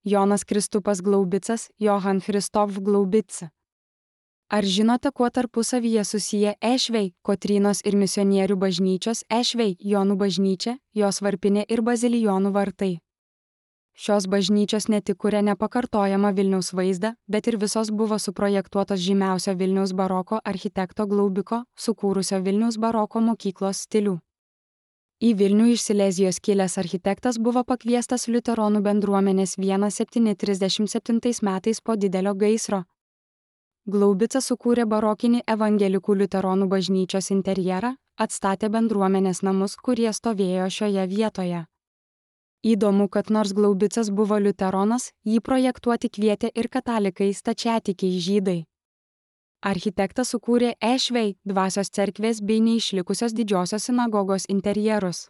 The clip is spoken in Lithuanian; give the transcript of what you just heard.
Jonas Kristupas Glaubicas, Johann Christoph Glaubica. Ar žinote, kuo tarpusavyje susiję Ešvei, Kotrynos ir misionierių bažnyčios Ešvei, Jonų bažnyčia, jos varpinė ir bazilijonų vartai? Šios bažnyčios ne tik kuria nepakartojamą Vilniaus vaizdą, bet ir visos buvo suprojektuotos žymiausio Vilniaus baroko architekto Glaubiko, sukūrusio Vilniaus baroko mokyklos stilių. Į Vilnių iš Silezijos kilęs architektas buvo pakviestas liuteronų bendruomenės 1737 metais po didelio gaisro. Glaubica sukūrė barokinį evangelikų liuteronų bažnyčios interjerą, atstatė bendruomenės namus, kurie stovėjo šioje vietoje. Įdomu, kad nors Glaubicas buvo liuteronas, jį projektuoti kvietė ir katalikai stačiatikiai žydai. Architektas sukūrė Ešvei, dvasios cerkvės bei neišlikusios didžiosios sinagogos interjerus.